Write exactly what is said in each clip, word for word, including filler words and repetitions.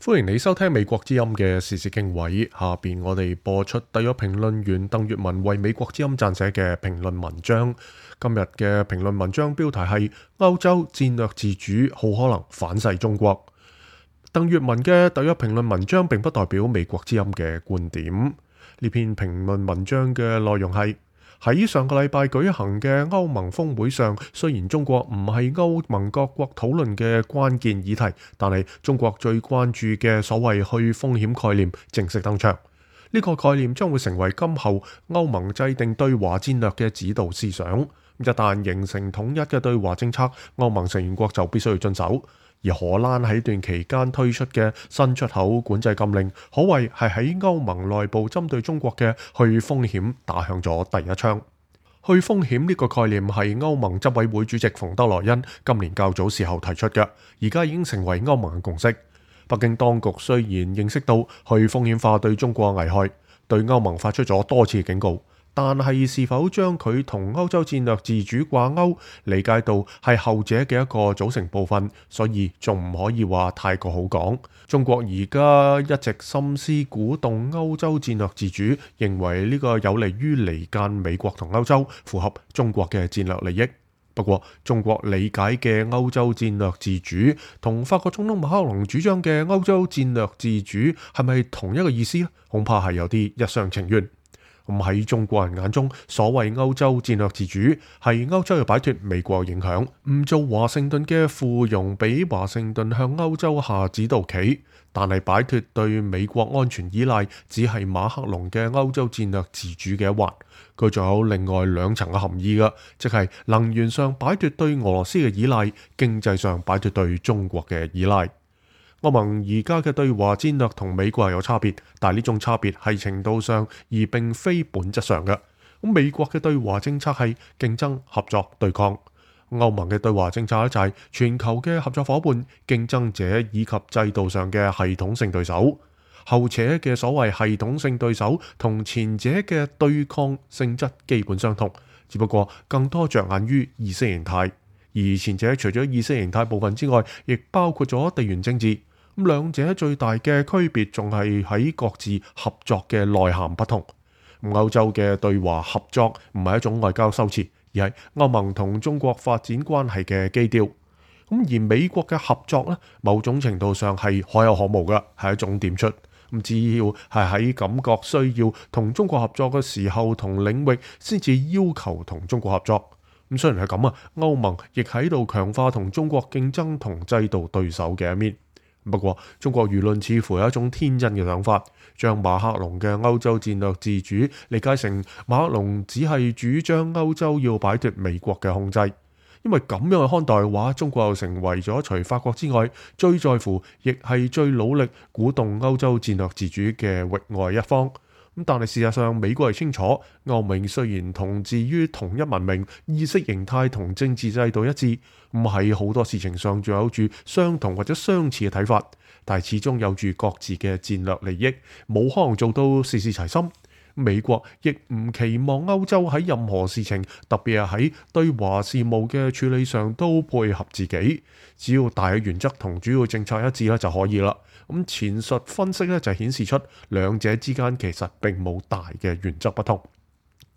歡迎你收聽美國之音嘅時事經緯，下邊我哋播出特約評論員鄧粵文為美國之音撰寫嘅評論文章。今日嘅評論文章標題係歐洲戰略自主好可能反噬中國。鄧粵文嘅特約評論文章並不代表美國之音嘅觀點。呢篇評論文章嘅內容係：喺上個禮拜舉行嘅歐盟峰會上，雖然中國唔係歐盟各國討論嘅關鍵議題，但係中國最關注嘅所謂去風險概念正式登場。呢個概念將會成為今後歐盟制定對華戰略嘅指導思想。一旦形成統一嘅對華政策，歐盟成員國就必須要遵守。而荷蘭喺段期間推出嘅新出口管制禁令，可謂係喺歐盟內部針對中國嘅去風險打響咗第一槍。去風險呢個概念係歐盟執委會主席馮德萊恩今年較早時候提出嘅，而家已經成為歐盟嘅共識。北京當局雖然認識到去風險化對中國危害，對歐盟發出咗多次警告，但係是否將佢同歐洲戰略自主掛鈎，理解到係後者嘅一個組成部分，所以仲唔可以話太過好講。中國而家一直心思鼓動歐洲戰略自主，認為呢個有利於離間美國同歐洲，符合中國嘅戰略利益。不過，中國理解嘅歐洲戰略自主，同法國總統馬克龍主張嘅歐洲戰略自主係咪同一個意思呢？恐怕係有啲一廂情願。咁喺中國人眼中，所謂歐洲戰略自主係歐洲要擺脫美國影響，唔做華盛頓嘅附庸，俾華盛頓向歐洲下指導棋。但係擺脫對美國安全依賴，只係馬克龍嘅歐洲戰略自主嘅一環。佢仲有另外兩層嘅含義㗎，即係能源上擺脫對俄羅斯嘅依賴，經濟上擺脫對中國嘅依賴。歐盟而家嘅對華戰略同美國係有差別，但係呢種差別係程度上，而並非本質上嘅。咁美國嘅對華政策係競爭、合作、對抗；歐盟嘅對華政策咧就係全球嘅合作夥伴、競爭者以及制度上嘅系統性對手。後者嘅所謂系統性對手同前者嘅對抗性質基本相同，只不過更多着眼於意識形態，而前者除咗意識形態部分之外，亦包括咗地緣政治。咁兩者最大嘅區別仲係喺各自合作嘅內涵不同。歐洲嘅對華合作唔係一種外交修辭，而係歐盟同中國發展關係嘅基調。咁而美國嘅合作呢，某種程度上係可有可無嘅，係一種點出。咁只要係喺感覺需要同中國合作嘅時候同領域，先至要求同中國合作。咁雖然係咁啊，歐盟亦喺度強化同中國競爭同制度對手嘅一面。不過，中國輿論似乎有一種天真嘅想法，將馬克龍嘅歐洲戰略自主理解成馬克龍只係主張歐洲要擺脫美國嘅控制。因為咁樣去看待嘅話，中國又成為咗除法國之外最在乎，亦係最努力鼓動歐洲戰略自主嘅域外一方。咁但係事實上，美國係清楚，歐盟雖然同治於同一文明、意識形態同政治制度一致，唔喺好多事情上仲有住相同或者相似嘅睇法，但係始終有住各自嘅戰略利益，冇可能做到事事齊心。美國亦唔期望歐洲喺任何事情，特別係喺對華事務嘅處理上都配合自己，只要大嘅原則同主要政策一致咧就可以啦。咁前述分析咧就顯示出兩者之間其實並冇大嘅原則不同。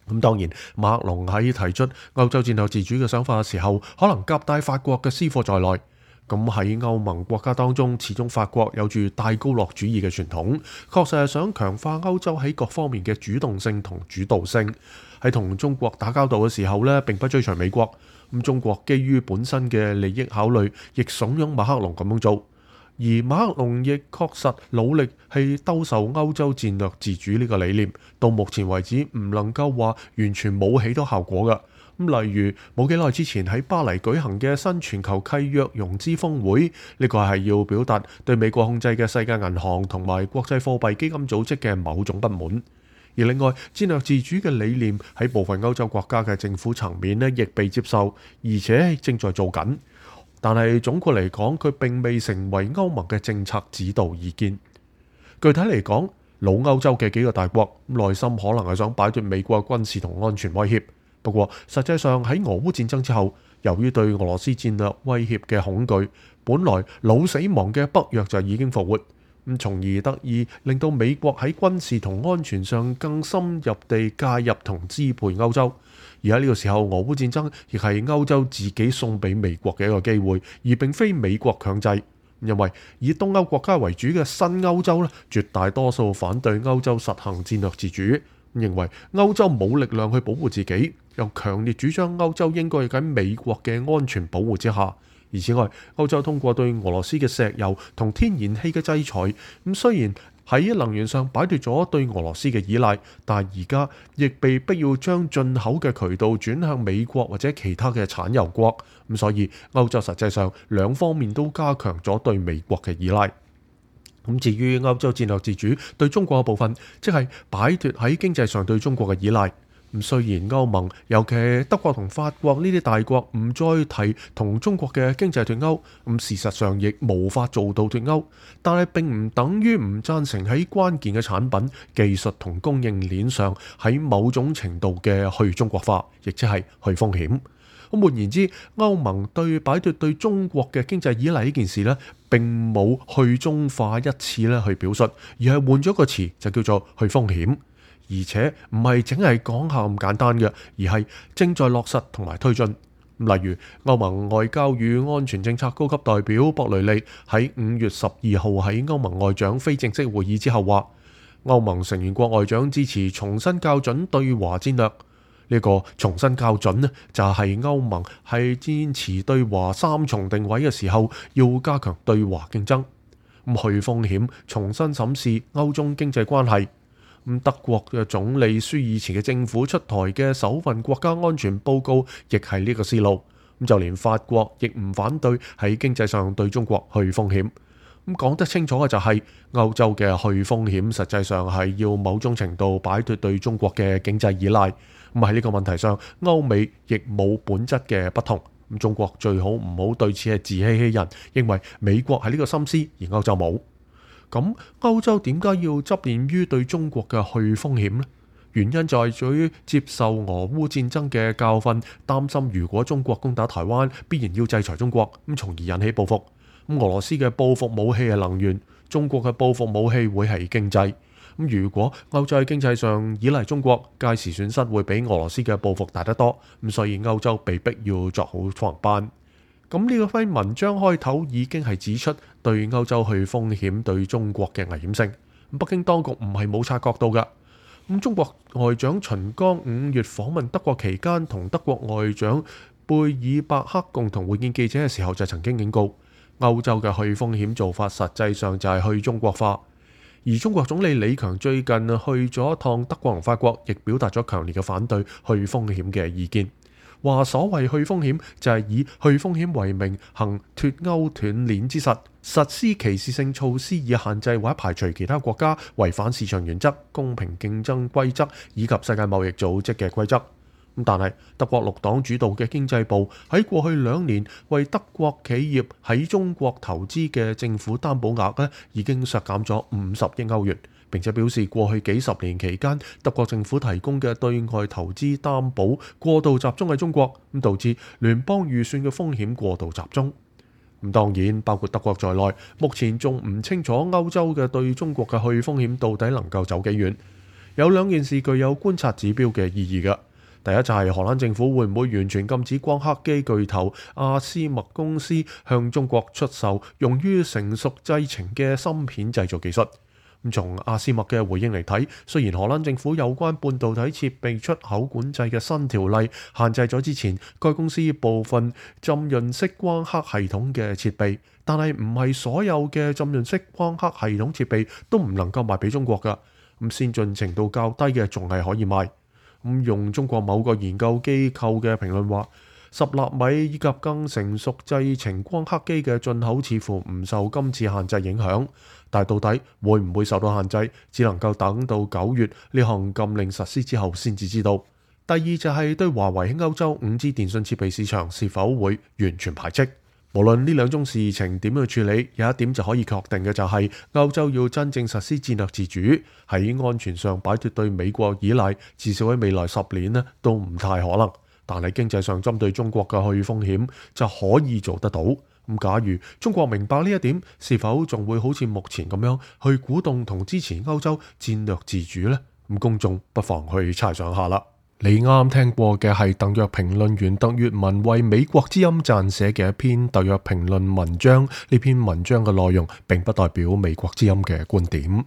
咁當然，馬克龍喺提出歐洲戰略自主嘅想法嘅時候，可能夾帶法國嘅私貨在內。咁喺歐盟國家當中，始終法國有住戴高樂主義嘅傳統，確實係想強化歐洲喺各方面嘅主動性同主導性。喺同中國打交道嘅時候呢，並不追隨美國。咁中國基於本身嘅利益考慮，亦慫恿馬克龍咁樣做。而馬克龍亦確實努力係兜售歐洲戰略自主呢個理念，到目前為止唔能夠話完全冇起到效果㗎。咁例如冇幾耐之前喺巴黎舉行嘅新全球契約融資峰會，呢個係要表達對美國控制嘅世界銀行同埋國際貨幣基金組織嘅某種不滿。而另外，戰略自主嘅理念喺部分歐洲國家嘅政府層面呢亦被接受，而且正在做緊。但係總括嚟講，佢並未成為歐盟嘅政策指導意見。具體嚟講，老歐洲嘅幾個大國內心可能係想擺脫美國軍事同安全威脅。不過，實際上喺俄烏戰爭之後，由於對俄羅斯戰略威脅嘅恐懼，本來老死亡嘅北約就已經復活。咁從而得以令到美國喺軍事同安全上更深入地介入同支配歐洲。而喺呢個時候，俄烏戰爭亦係歐洲自己送俾美國嘅一個機會，而並非美國強制。因為以東歐國家為主嘅新歐洲咧，絕大多數反對歐洲實行戰略自主，認為歐洲冇力量去保護自己，又強烈主張歐洲應該喺美國嘅安全保護之下。而此外，歐洲通過對俄羅斯嘅石油同天然氣嘅制裁，咁雖然喺能源上擺脫咗對俄羅斯嘅依賴，但而家亦被逼要將進口嘅渠道轉向美國或者其他嘅產油國，咁所以歐洲實際上兩方面都加強咗對美國嘅依賴。咁至於歐洲戰略自主對中國嘅部分，即係擺脫喺經濟上對中國嘅依賴。咁雖然歐盟，尤其係德國同法國呢啲大國唔再提同中國嘅經濟脫鈎，咁事實上亦無法做到脫鈎，但係並唔等於唔贊成喺關鍵嘅產品、技術同供應鏈上喺某種程度嘅去中國化，亦即係去風險。咁換言之，歐盟對擺脫對中國嘅經濟依賴呢件事呢，並冇去中化一次咧去表述，而係換咗個詞就叫做去風險。而且唔係淨係講下咁簡單嘅，而係正在落實同埋推進。例如歐盟外交與安全政策高級代表博雷利喺五月十二號喺歐盟外長非正式會議之後話，歐盟成員國外長支持重新校準對華戰略。呢個重新校準呢，就係歐盟係堅持對華三重定位嘅時候，要加強對華競爭，咁去風險，重新審視歐中經濟關係。咁德國嘅總理舒爾茨嘅政府出台嘅首份國家安全報告，亦係呢個思路。咁就連法國亦唔反對喺經濟上對中國去風險。咁講得清楚嘅就係歐洲嘅去風險，實際上係要某種程度擺脫對中國嘅經濟依賴。咁喺呢個問題上，歐美亦冇本質嘅不同。咁中國最好唔好對此係自欺欺人，認為美國係呢個心思，而歐洲冇。咁歐洲點解要執念於對中國嘅去風險呢？原因就係在於接受俄烏戰爭嘅教訓，擔心如果中國攻打台灣，必然要制裁中國，咁從而引起報復。咁俄羅斯嘅報復武器係能源，中國嘅報復武器會係經濟。咁如果歐洲喺經濟上依賴中國，屆時損失會比俄羅斯嘅報復大得多。咁所以歐洲被逼要作好防範。咁呢個篇文章開頭已經係指出對歐洲去風險對中國嘅危險性。北京當局唔係冇察覺到㗎。咁中國外長秦剛五月訪問德國期間，同德國外長貝爾伯克共同會見記者嘅時候，就曾經警告歐洲嘅去風險做法，實際上就係去中國化。而中國總理李強最近去咗一趟德國同法國，亦表達咗強烈嘅反對去風險嘅意見。話所謂去風險就係以去風險為名行脫鈎斷鏈之實，實施歧視性措施以限制或者排除其他國家違反市場原則、公平競爭規則以及世界貿易組織嘅規則。但係德國綠黨主導嘅經濟部喺過去兩年為德國企業喺中國投資嘅政府擔保額咧，已經削減咗五十億歐元。並且表示過去幾十年期間，德國政府提供嘅對外投資擔保過度集中喺中國，咁導致聯邦預算嘅風險過度集中。咁當然包括德國在內，目前仲唔清楚歐洲嘅對中國嘅去風險到底能夠走幾遠。有兩件事具有觀察指標嘅意義嘅。第一就係荷蘭政府會唔會完全禁止光刻機巨頭阿斯麥公司向中國出售用於成熟製程嘅芯片製造技術。咁從阿斯麥嘅回應嚟睇，雖然荷蘭政府有關半導體設備出口管制嘅新條例限制咗之前該公司部分浸潤式光刻系統嘅設備，但係唔係所有嘅浸潤式光刻系統設備都唔能夠賣俾中國㗎。咁先進程度較低嘅仲係可以賣。咁用中國某個研究機構嘅評論話，十納米以及更成熟製程光刻機嘅進口似乎唔受今次限制影響，但係到底會唔會受到限制，只能夠等到九月呢項禁令實施之後先至知道。第二就係對華為喺歐洲五 G 電信設備市場是否會完全排斥。無論呢兩種事情點樣處理，有一點就可以確定嘅就係歐洲要真正實施戰略自主，喺安全上擺脫對美國依賴，至少喺未來十年呢都唔太可能。但係經濟上針對中國嘅去風險就可以做得到。咁假如中國明白呢一點，是否仲會好似目前咁樣去鼓動同支持歐洲戰略自主呢？咁公眾不妨去猜想下啦。你啱啱聽過嘅係特約評論員鄧粵文為美國之音撰寫嘅一篇特約評論文章，呢篇文章嘅內容並不代表美國之音嘅觀點。